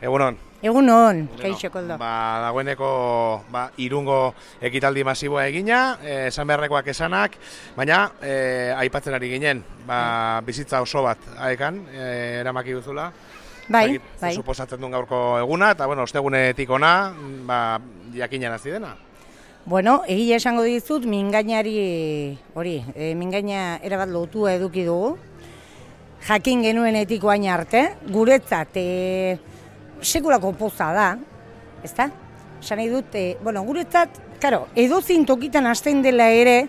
Egunon. Egunon, kaixo Koldo. Dagoeneko Irungo ekitaldi masiboa egina, esan beharrekoak esanak, baina aipatzen ari ginen, bizitza oso bat haekan, eramaki duzula. Bai. Suposatzen duen gaurko eguna, eta ostegunetik ona, jakinan hasi dena. Bueno, egia esango dizut, mingainari mingaina erabat lotua eduki dugu. Jakin genuenetik oain arte, guretzat sekulako poza da, ezta? Esan nahi dut, guretzat, edozein tokitan hasten dela ere,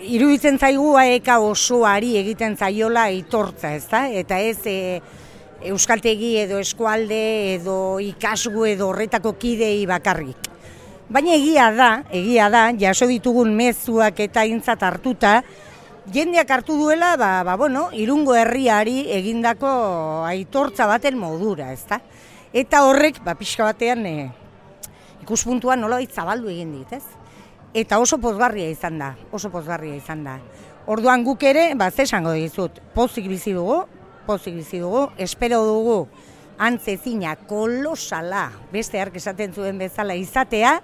iruditzen zaigu aeka osoari egiten zaiola aitortza, ezta? Eta ez euskaltegi edo eskualde edo ikasgu edo horretako kidei bakarrik. Baina egia da, jaso ditugun mezuak eta aintzat hartuta, jendeak hartu duela, Irungo herriari egindako aitortza baten modura, ezta? Eta horrek, pixka batean, ikuspuntua nolabait zabaldu egin dit, ez? Eta oso pozgarria izan da, Orduan guk ere, ze esango dizut, pozik bizi dugu, espero dugu, antzezina, kolosala, beste hark esaten zuen bezala izatea,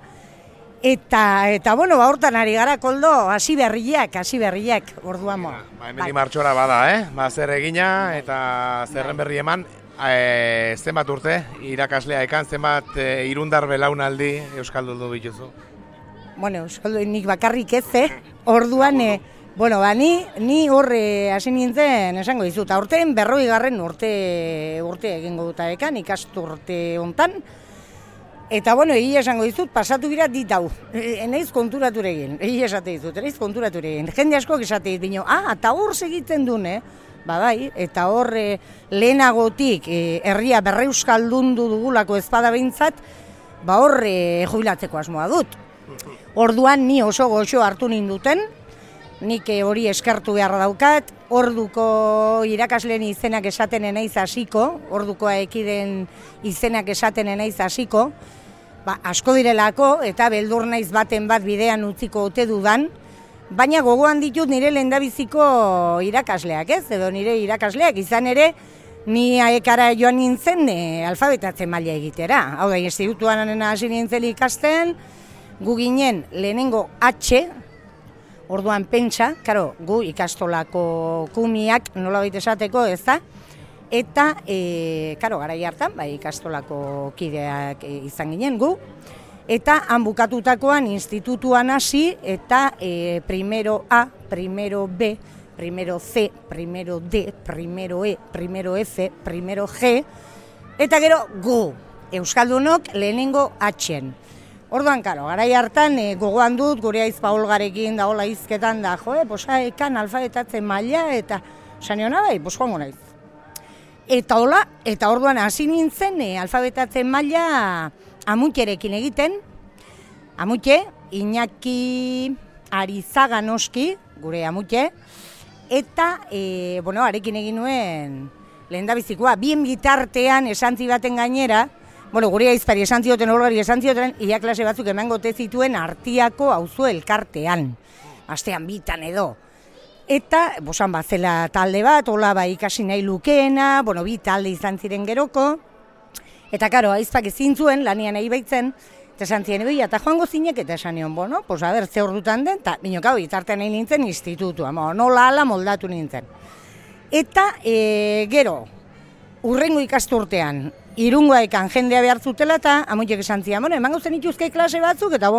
eta hortan ari gara, Koldo, hasi berriak, orduan moa. Hemen martxora bada, zer egina eta zerren berri eman, zenbat urte irakaslea ekan, zenbat irundar belaunaldi euskaldundu bituzu? Euskaldun nik bakarrik ez, orduan, ni horre hasi nintzen esango dizut, aurten 40. urte egingo dut ekan, ikasturte hontan. Eta egia esango dizut, pasatu gira ditau. Enaiz konturaturegin, Jende askok esate dit, eta hor segiten dune, bai, eta hor lehenagotik herria berreuskaldundu dugulako ezpada behintzat, hor jubilatzeko asmoa dut. Orduan ni oso goxo hartu ninduten, nik hori eskertu beharra daukat, orduko irakasleen izenak esaten enaiz hasiko, orduko ekiden izenak esaten enaiz hasiko, asko direlako eta beldur naiz baten bat bidean utziko ote dudan, baina gogoan ditut nire lehendabiziko irakasleak, ez? Edo nire irakasleak izan ere, ni aekara joan nintzen alfabetatzen maila egitera. Hau da, institutuan hasi nintzen ikasten, gu ginen lehenengo H, orduan pentsa, gu ikastolako kumiak nolabait esateko, ez da? Eta, garai hartan, ikastolako kideak izan ginen gu, eta han bukatutakoan institutuan hasi, eta primero A, primero B, primero C, primero D, primero E, primero F, primero G, eta gero gu, euskaldunok lehenengo H-en. Orduan, garai hartan, gogoan dut, gure aizpa Olgarekin da hola izketan da, ekan alfabetatzen maila, eta saniona joango naiz. Eta orduan hasi nintzen alfabetatzen maila Amutxerekin egiten, Amutxe, Iñaki Arizaga noski, gure Amutxe, eta, arekin egin nuen lehendabizikoa, bien bitartean esantzi baten gainera, gure aizpari esan zioten, Olgari esan zioten, ia klase batzuk emango te zituen Artiako auzo elkartean, astean bitan edo. Eta, bosan zela talde bat, hola ikasi nahi lukeena, bi talde izan ziren geroko, eta aizpak ezin zuen, lanian nahi baitzen, eta esan ziren, eta joango zinek, eta esan nion, ze hor dutan den, eta itartean nahi nintzen institutua, nola ala moldatu nintzen. Eta, gero, urrengo ikasturtean, Irungoa ekan jendea behar zutela, eta amuitek esan ziren, emango zen ituzke klase batzuk, eta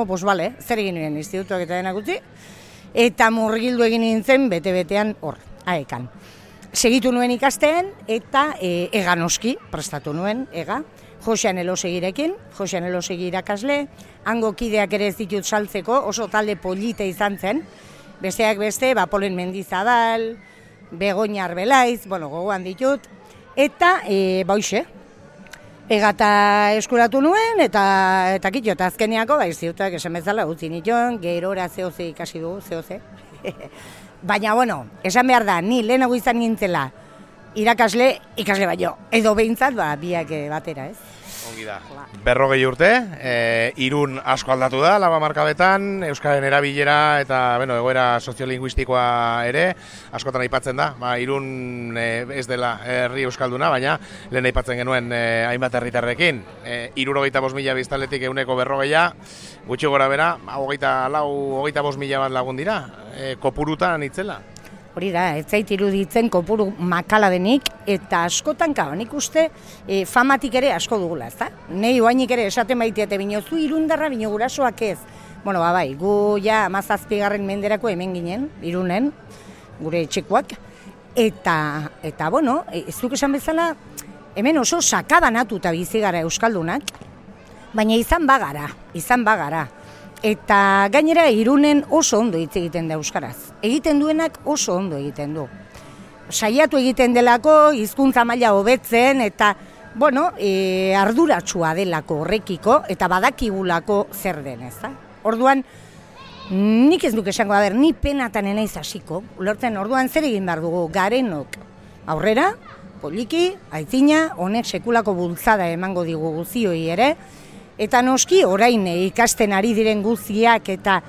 zer egin nuen institutuak eta denak utzi, eta murgildu egin nintzen bete-betean hor, aekan. Segitu nuen ikasten eta ega noski, prestatu nuen, ega, Josean Elosegirekin, Josean Elosegi irakasle, hango kideak ere ez ditut saltzeko, oso talde polite izan zen, besteak beste, Polen Mendizadal, Begoña Arbelaiz, gogoan ditut, eta egata eskuratu nuen, eta kitxo, eta azkeniako, institutuak esan bezala utzi nituen, gerora zehoze ikasi dugu, zehoze. Baina, esan behar da, ni lehenago izan nintzela, ikasle baino, edo behintzat, biak batera, ez? Ongi da. 40 urte, Irun asko aldatu da, laba markabetan, euskaren erabilera eta egoera soziolinguistikoa ere, askotan aipatzen da. Irun ez dela herri euskalduna, baina lehen aipatzen genuen hainbat herritarrekin. 75.000 biztanletik 140, gutxi gora bera, 25.000 bat lagun dira, kopurutan itzela. Hori da, ez zait iruditzen kopuru makala denik, eta askotan nik uste famatik ere asko dugula, ez da? Nei oainik ere esaten baitiate bino, zu Irundarra bino gurasoak ez. Bueno, bai, gu ja 17. menderako hemen ginen, Irunen, gure etxekoak, eta zuk esan bezala, hemen oso sakabanatuta bizi gara euskaldunak, baina izan bagara. Eta gainera Irunen oso ondo hitz egiten da euskaraz. Egiten duenak oso ondo egiten du. Saiatu egiten delako, hizkuntza maila hobetzen eta, arduratsua delako horrekiko eta badakigulako zer den, ezta? Orduan, nik ez duk esango da ni penatan enaiz hasiko. Ulertzen, orduan zer egin behar dugu garenok aurrera, poliki, aitzina, honek sekulako bultzada emango digu guzioi ere, eta noski orain ikasten ari diren guztiak eta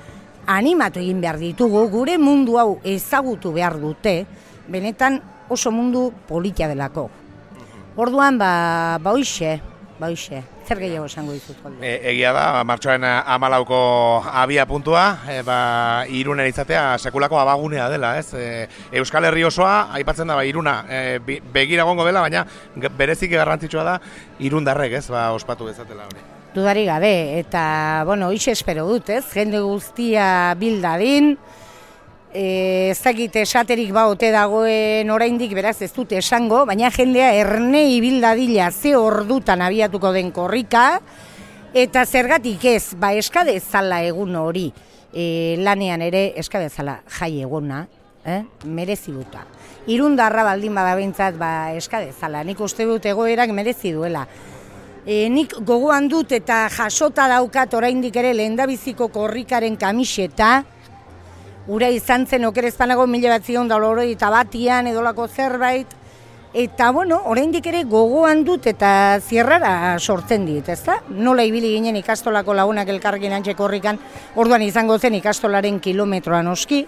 animatu egin behar ditugu, gure mundu hau ezagutu behar dute, benetan oso mundu politia delako. Orduan, hoixe, zer gehiago esango dizut. Egia da, martxoaren 14ko abia puntua, Irunen izatea sekulako abagunea dela, ez? Euskal Herri osoa, aipatzen da, Iruna, begira gongo dela, baina bereziki garrantzitsua da, Irundarrek, ez? Ospatu bezatela hori. Dudarik gabe, eta, hoixe espero dut, ez? Jende guztia bildadin, ez dakit esaterik ote dagoen oraindik, beraz ez dut esango, baina jendea ernei bildadila ze ordutan abiatuko den korrika, eta zergatik ez, eskadezala egun hori, lanean ere eskadezala jai eguna, merezi duta. Irundarra baldin badabentzat eskadezala, nik uste dut egoerak merezi duela. Nik gogoan dut eta jasota daukat oraindik ere lehendabiziko korrikaren kamiseta, ura izan zen okerezpanago 1981 edolako zerbait, eta oraindik ere gogoan dut eta zierrara sortzen dit, ezta? Nola ibili ginen ikastolako lagunak elkarrekin antxe korrikan, orduan izango zen ikastolaren kilometroan oski,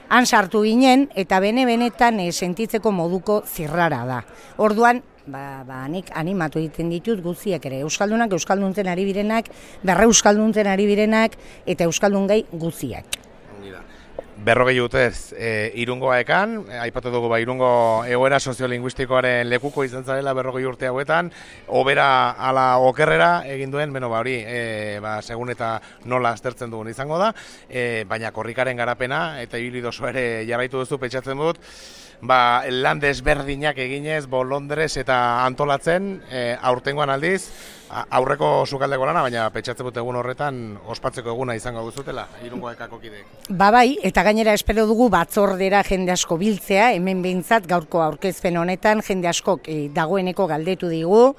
han sartu ginen eta benetan sentitzeko moduko zirrara da. Orduan, nik animatu egiten ditut guztiak ere, euskaldunak, euskalduntzen ari birenak, berreuskalduntzen ari birenak, eta euskaldun gai guztiak. 40 urtez Irungoa ekan, aipatu dugu Irungo egoera soziolinguistikoaren lekuko izan zarela 40 urte hauetan, obera ala okerrera egin duen, hori, segun eta nola aztertzen dugun izango da, baina korrikaren garapena eta ibilidoso ere jarraitu duzu pentsatzen dut, lan desberdinak eginez, bolondrez eta antolatzen, aurtengoan aldiz, aurreko sukaldeko lana, baina pentsatzen dut egun horretan ospatzeko eguna izango duzutela, Irungo ekako kideek. Bai, eta gainera espero dugu batzordera jende asko biltzea, hemen behintzat gaurko aurkezpen honetan jende askok dagoeneko galdetu digu,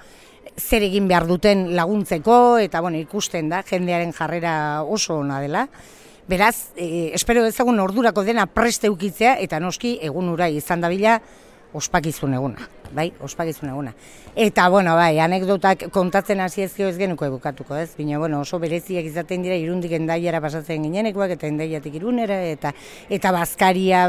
zer egin behar duten laguntzeko, eta ikusten da, jendearen jarrera oso ona dela. Beraz, espero dezagun ordurako dena preste ukitzea, eta noski egun hura izan dabila ospakizun eguna. Ospakizun eguna. Eta, anekdotak kontatzen hasi ezkio ez genuko ebukatuko, ez? Bina, oso bereziak izaten dira, Irundik Endaiara pasatzen ginenekoak, eta Endaiatik Irunera, eta Bazkaria,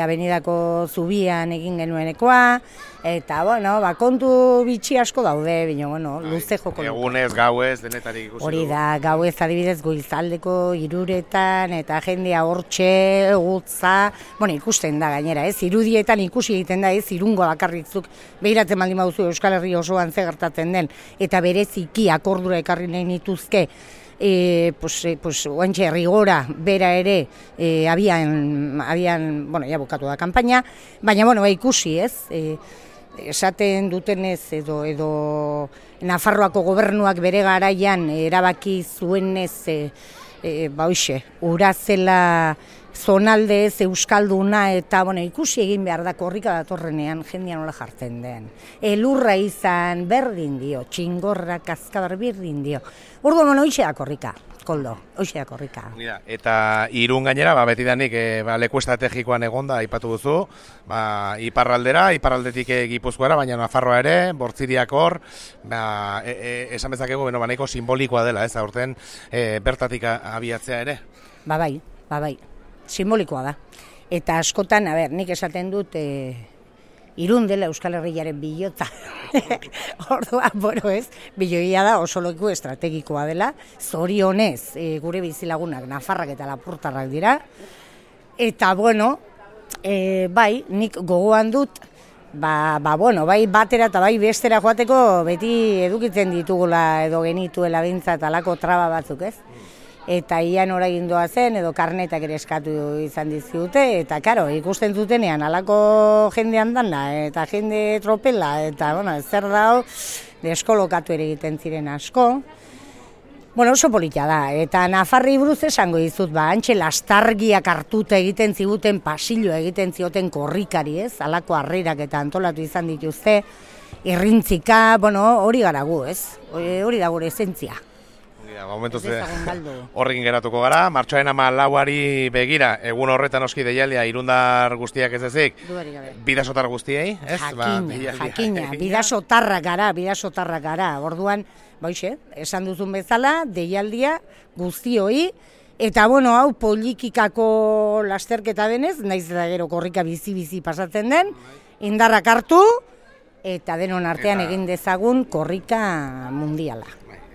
abenidako zubian egin genuenekoa, eta, kontu bitxi asko daude, bina, luze joko. Egunez, gauez, denetarik ikusi. Hori da, gauez adibidez Goizaldeko Iruretan, eta jendea hortxe, gutza, ikusten da gainera, ez? Irudietan ikusi egiten da, ez? Irungo bakarritzuk behiratzen baldin baduzu Euskal Herri osoan ze gertatzen den, eta bereziki akordura ekarri nahi nituzke, oantxe rigora bera ere abian, ja bukatu da kanpaina, baina ikusi ez, esaten dutenez edo Nafarroako gobernuak bere garaian erabaki zuenez, ura zela zonalde ez euskalduna eta ikusi egin behar da korrika datorrenean jendean nola jartzen den. Elurra izan berdin dio, txingorra, kaskabar berdin dio. Orduan hoxe da korrika. Koldo, hoxe da korrika. Eta Irun gainera, betidanik leku estrategikoan egonda aipatu duzu, iparraldera, iparraldetik Gipuzkoara, baina Nafarroa ere, Bortziriak hor, esan bezakegu, nahiko simbolikoa dela, ez, aurten bertatik abiatzea ere? Bai, simbolikoa da. Eta askotan, nik esaten dut, Irun dela Euskal Herriaren bilota. Orduan, biloia da oso leku estrategikoa dela. Zorionez, gure bizilagunak Nafarrak eta Lapurtarrak dira. Eta, bai, nik gogoan dut, bai batera eta bai bestera joateko beti edukitzen ditugula edo genituela bintzat alako traba batzuk, ez? Eta ian ora gindoa zen, edo karnetak ere eskatu izan dizkiute, eta karo, ikusten zutenean alako jende handana, eta jende tropela, eta zer dao, deskolokatu ere egiten ziren asko. Oso polita da, eta Nafarri buruz esango dizut, antxe lastargiak hartuta egiten ziguten, pasilloa egiten zioten korrikari, ez? Alako harrerak eta antolatu izan dituzte, irrintzika, hori gara gu, ez? Hori da gure esentzia. Horrekin geratuko gara, martxoaren 14ari begira, egun horretan oski deialdia irundar guztiak ez ezik, bidasotar guztiei, ez? Jakina, bidasotarrak gara, orduan, esan duzun bezala, deialdia guztioi, eta hau politikako lasterketa denez, naiz eta gero korrika bizi pasatzen den, indarrak hartu, eta denon artean egin dezagun korrika mundiala.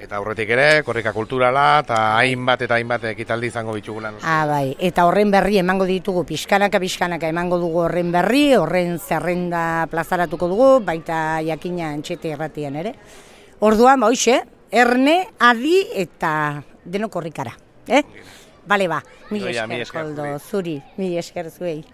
Eta aurretik ere, korrika kulturala, eta hainbat ekitaldi izango bitugula. Bai, eta horren berri emango ditugu, pixkanaka emango dugu horren berri, horren zerrenda plazaratuko dugu, baita jakina antxete erratian ere. Orduan, erne, adi eta deno korrikara. Bale, mila esker, Koldo, zuri, mila esker zuei.